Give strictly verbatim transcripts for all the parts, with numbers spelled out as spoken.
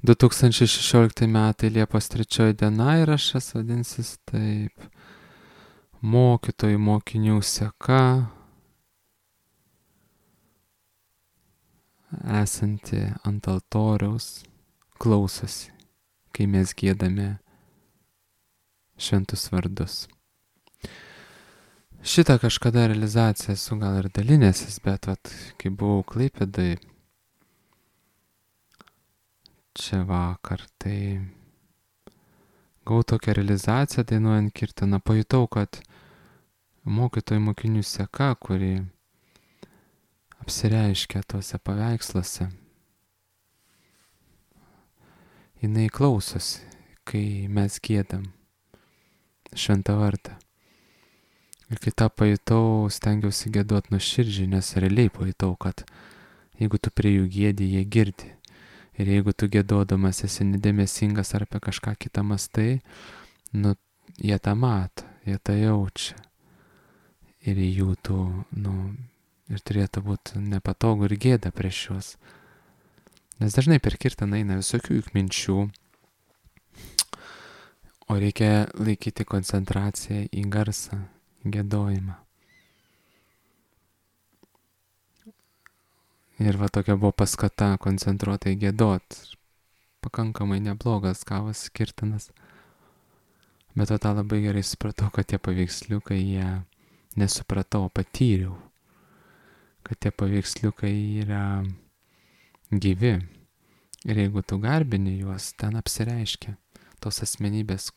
du tūkstančiai šešiolikti metai Liepos trečioji diena ir aš esu vadinsis taip. Mokytojų mokinių seka, esanti ant altoriaus, klausosi, kai mes giedame šventus vardus. Šitą kažkada realizaciją esu gal ir dalinęsis, bet vat, kai buvau Klaipėdoj čia vakar, tai gavau tokią realizaciją dainuojant kirtaną, pajutau, kad mokytojų mokinių seka, kuri apsireiškia tuose paveiksluose, jinai klausosi, kai mes giedam šventą vardą. Ir kai tą pajutau, stengiausi giedot nuoširdžiai, nes realiai pajutau, kad jeigu tu prie jų giedi, jie girdi. Ir jeigu tu giedodamas esi nedėmesingas ar apie kažką kitą mastai, nu, jie tą mato, jie tą jaučia. Ir jų tų, nu, ir turėtų būti nepatogu ir gėda prieš juos. Nes dažnai per kirtaną eina visokių juk minčių, o reikia laikyti koncentraciją į garsą, į giedojimą. Ir va tokia buvo paskata koncentruotai giedot. Pakankamai neblogas gavas kirtanas. Bet o tą labai gerai supratau, kad tie paveiksliukai, jie nesupratau, patyriau. Kad tie paveiksliukai yra gyvi. Ir jeigu tu garbini juos, ten apsireiškia tos asmenybės,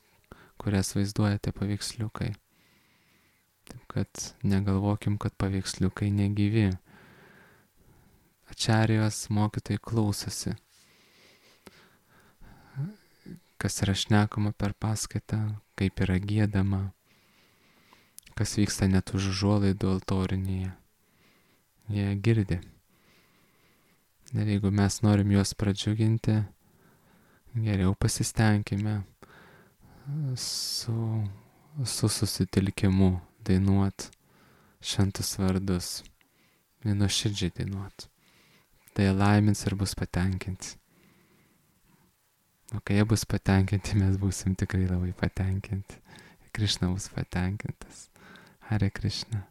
kurias vaizduoja tie paveiksliukai. Taip kad negalvokim, kad paveiksliukai negyvi. Ačarijos mokytojai klausosi, kas yra šnekama per paskaitą, kaip yra giedama, kas vyksta net už užuolaidų altorinėje. Jie girdi. Ir jeigu mes norim juos pradžiuginti, geriau pasistengime su, su susitelkimu dainuot šventus vardus, nuoširdžiai dainuot. Tai laimins ir bus patenkinti. O kai jie bus patenkinti, mes būsim tikrai labai patenkinti. Krišna bus patenkintas. Hare Krishna.